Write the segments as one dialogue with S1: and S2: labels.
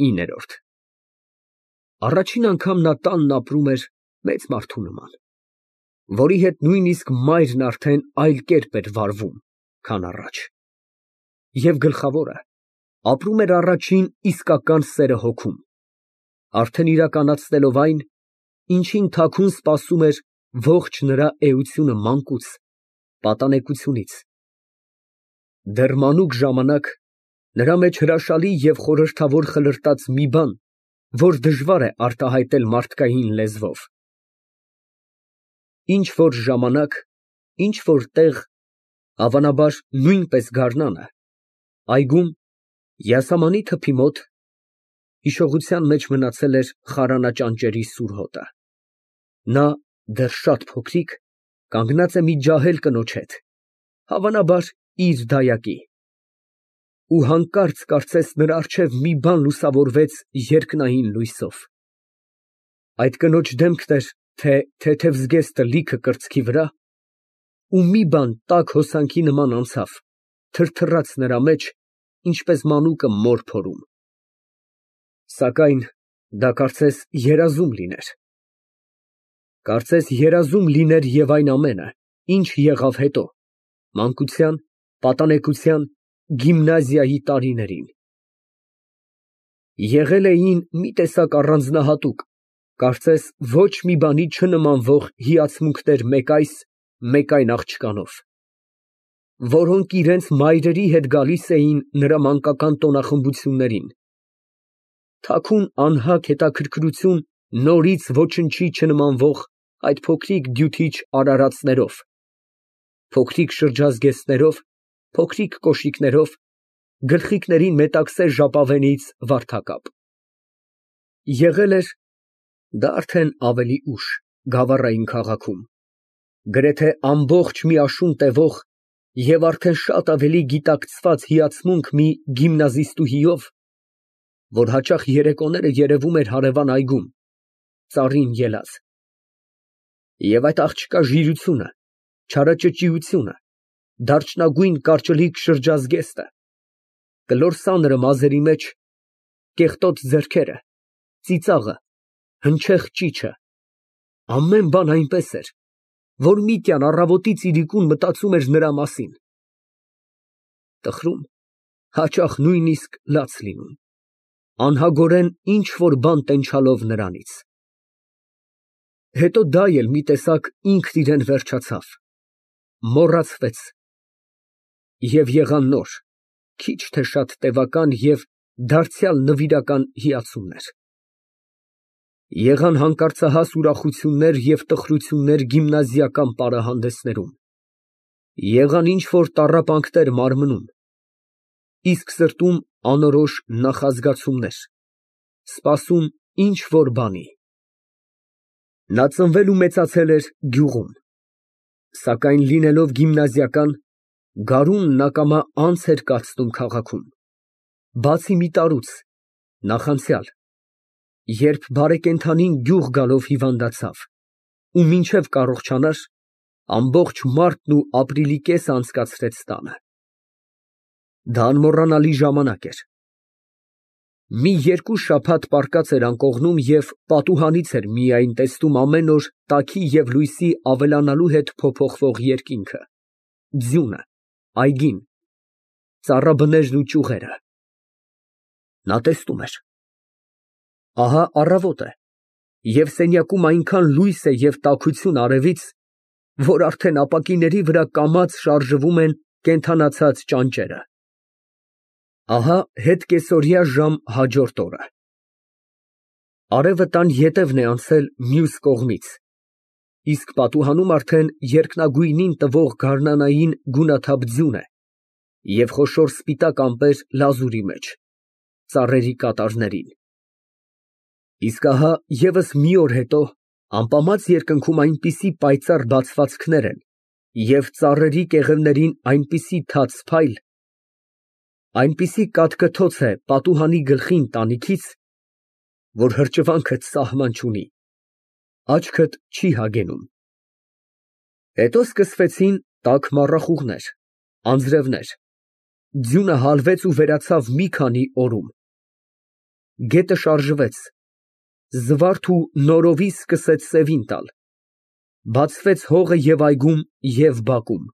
S1: 9։ Առաջին անգամ նա տանն ապրում էր մեծ մարդու նման, որի հետ նույնիսկ մայրն արդեն այլ կերպ էր վարվում, քան առաջ, և գլխավորը, ապրում էր առաջին իսկական սերը հոգում, արդեն իրականացնելով այն, ինչին թաքուն սպասում էր ողջ նրա էությունը մանկուց, պատանեկությունից։ Դեռ մանուկ ժամանակ նրա մեջ հրաշալի և խորհրդավոր խլրտաց մի բան, որ դժվար է արտահայտել մարդկային լեզվով։ Ինչ֊որ ժամանակ, ինչ֊որ տեղ, հավանաբար նույնպես գարնանը, այգում, յասամանի թփի մոտ (հիշողության մեջ մնացել էր խարանաճանճերի սուր հոտը) նա, դեռ շատ փոքրիկ, կանգնած է մի ջահել կնոջ հետ, հավանաբար իր դայակի, ու հանկարծ կարծես նրա առջև մի բան լուսավորվեց երկնային լույսով. այդ կնոջ դեմքն էր, թե թեթև զգեստը լիքը կրծքի վրա, ու մի բան տաք հոսանքի նման անցավ, թրթռաց նրա մեջ, ինչպես մանուկը մոր փորում։ Սակայն դա կարծես երազում լիներ։ Կարծես երազում լիներ և այն ամենը, ինչ եղավ հետո, մանկության, պատանեկության, գիմնազիայի տարիներին։ Եղել էին մի տեսակ առանձնահատուկ, կարծես ոչ մի բանի չնմանվող հիացմունքներ մեկ այս, մեկ այն աղջկանով, որոնք իրենց մայրերի հետ գալիս էին նրա մանկական տոնախմբություններին, թաքուն անհագ հետաքրքրություն նորից ոչնչի չնմանվող այդ փոքրիկ դյութիչ արարածներով, փոքրիկ շրջազգեստներով, փոքրիկ կոշիկներով, գլխիկներին մետաքսե ժապավենից վարդակապ։ Եղել էր (դա արդեն ավելի ուշ) Գավառային քաղաքում, գրեթե ամբողջ մի աշուն տևող և արդեն շատ ավելի գիտակցված հիացմունք մի գիմնազիստուհիով, որ հաճախ երեկոները երևում էր հարևան այգում, ծառին ելած, և այդ աղջկա ժիրությունը, չարաճճիությունը, դարչնագույն կարճլիկ շրջազգեստը, կլոր սանրը մազերի մեջ, կեղտոտ ձեռքերը, ծիծաղը, հնչեղ ճիչը, ամեն բան այնպես էր, որ Միտյան առավոտից իրիկուն մտածում էր նրա մասին, տխրում, հաճախ նույնիսկ լաց լինում, անհագորեն ինչ֊որ բան տենչալով նրանից։ Հետո դա էլ մի տեսակ ինքն իրան վերջացավ, մոռացվեց, և եղան նոր, քիչ թե շատ տևական և դարձյալ նվիրական հիացումներ։ Եղան հանկարծահաս ուրախություններ և տխրություններ գիմնազիական պարահանդեսներում, եղան ինչ֊որ տառապանքներ մարմնում, իսկ սրտում անորոշ նախազգացումներ, սպասում ինչ֊որ բանի։ Նա ծնվել ու մեծացել էր գյուղում, սակայն լինելով գիմնազիական, գարունն ակամա անց էր կացնում քաղաքում, բացի մի տարուց, նախանցյալ, երբ բարեկենդանին գյուղ գալով հիվանդացավ ու մինչև կառողջանար, ամբողջ մարտն ու ապրիլի կեսը անցկացրեց տանը։ Դա անմոռանալի ժամանակ էր։ Մի երկու շաբաթ պառկած էր անկողնում և պատուհանից էր միայն տեսնում ամեն օր տաքի և լույսի ավելանալու հետ փոփոխվող երկինքը, ձյունը, այգին, ծառաբներն ու ճյուղերը։ Նա տեսնում էր. ահա առավոտ է, և սենյակում այնքան լույս է և տաքություն արևից, որ արդեն ապակիների վրա կամաց շարժվում են կենդանացած ճանճերը։ Ահա հետկեսօրյա ժամ հաջորդ օրը։ Արևը տան ետևն է անցել մյուս կողմից, իսկ պատուհանում արդեն երկնագույնին տվող գարնանային գունաթափ ձյուն է և խոշոր սպիտակ ամպեր լազուրի մեջ, ծառերի կատարներին։ Իսկ ահա ևս մի օր հետո ամպամած երկնքում այնպիսի պայծառ բացվածքներ են և ծառերի կեղևներին այնպիսի թաց փայլ, այնպիսի կաթկթոց է պատուհանի գլխին տանիքից, որ հրճվանքդ սահման չունի, աչքդ չի հագենում։ Հետո սկսվեցին տաք մառախուղներ, անձրևներ, ձյունը հալվեց ու վերացավ մի քանի օրում։ Գետը շարժվեց, զվարթ ու նորովի սկսեց սևին տալ, բացվեց հողը և այգում, և բակում,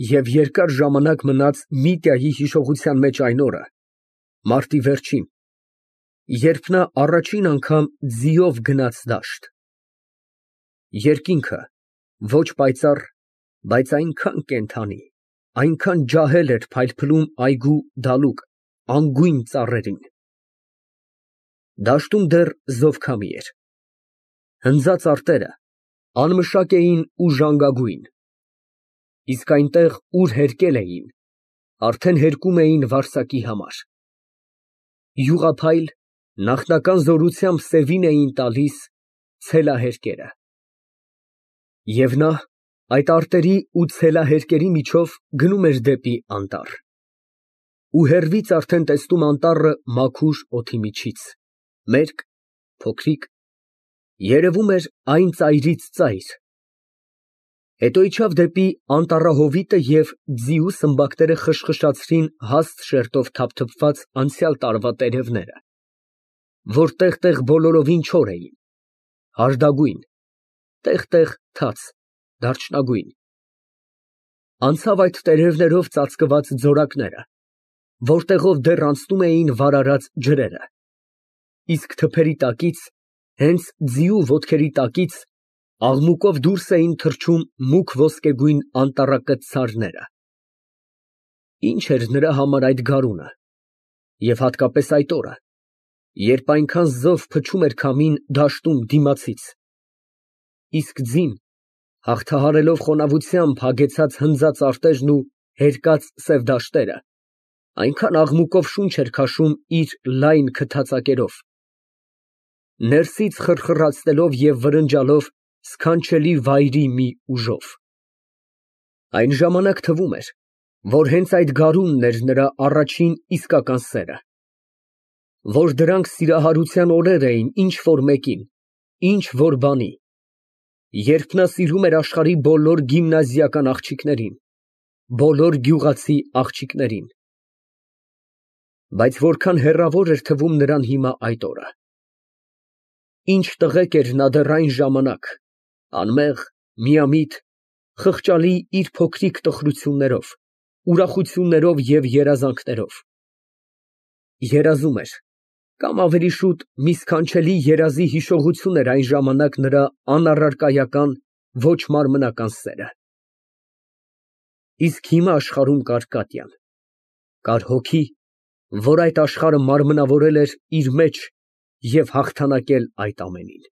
S1: և երկար ժամանակ մնաց Միտյայի հիշողության մեջ այն օրը, մարտի վերջին, երբ նա առաջին անգամ ձիով գնաց դաշտ։ Երկինքը ոչ պայծառ, բայց այնքան կենդանի, այնքան ջահել էր փայլփլում այգու դալուկ, անգույն ծառերին։ Դաշտում դեռ զովքամի էր։ Հնձած արտերը անմշակ էին ու ժանգագույն, իսկ այնտեղ, ուր հերկել էին, արդեն հերկում էին վարսակի համար։ Յուղափայլ, նախնական զորությամբ սևին էին տալիս ցելահերկերը։ Եվ նա այդ արտերի ու ցելահերկերի միջով գնում էր դեպի անտառ։ Ու հեռվից արդեն տեսնում անտառը մաքուր օդի միջից, մերկ, փոքրիկ, երևում էր այն ծայրից ծայր։ Հետո իջավ դեպի անտառահովիտը և ձիու սմբակները խշխշացրին հաստ շերտով թափթփված անցյալ տարվա տերևները, որ տեղ֊տեղ բոլորովին չոր էին, հարդագույն, տեղ֊տեղ թաց, դարչնագույն։ Անցավ այդ տերևներով ծածկված ձորակները, որտեղով դեռ անցնում էին վարարած ջրերը, իսկ թփերի տակից, հենց ձիու ոտքերի տակից, աղմուկով դուրս էին թռչում մուգ ոսկեգույն անտառակծցարները։ Ինչ էր նրա համար այդ գարունը, և հատկապես այդ օրը, երբ այնքան զով փչում էր քամին դաշտում դիմացից, իսկ ձին, հաղթահարելով խոնավությամբ հագեցած հնձած արտերն ու հերկած սև դաշտերը, այնքան աղմուկով շունչ էր քաշում իր լայն քթածակերով, ներսից խռխռացնելով և վրնջալով սքանչելի վայրի մի ուժով։ Այն ժամանակ թվում էր, որ հենց այդ գարունն էր նրա առաջին իսկական սերը, որ դրանք սիրահարության օրեր էին ինչ֊որ մեկին, ինչ֊որ բանի, երբ նա սիրում էր աշխարհի բոլոր գիմնազիական աղջիկներին, բոլոր գյուղացի աղջիկներին։ Բայց որքան հեռավոր էր թվում նրան հիմա այդ օրը։ Ինչ տղեկ էր նա դեռ այն ժամանակ, անմեղ, միամիտ, խղճալի իր փոքրիկ տխրություններով, ուրախություններով և երազանքներով։ Երազում էր, կամ ավելի շուտ մի սքանչելի երազի հիշողություն էր այն ժամանակ նրա անառարկայական, ոչ մարմնական սերը։ Իսկ հիմա աշխարհում կար Կատյան, կար հոգի, որ այդ աշխարհը մարմնավորել էր իր մեջ և հաղթանակել այդ ամենին։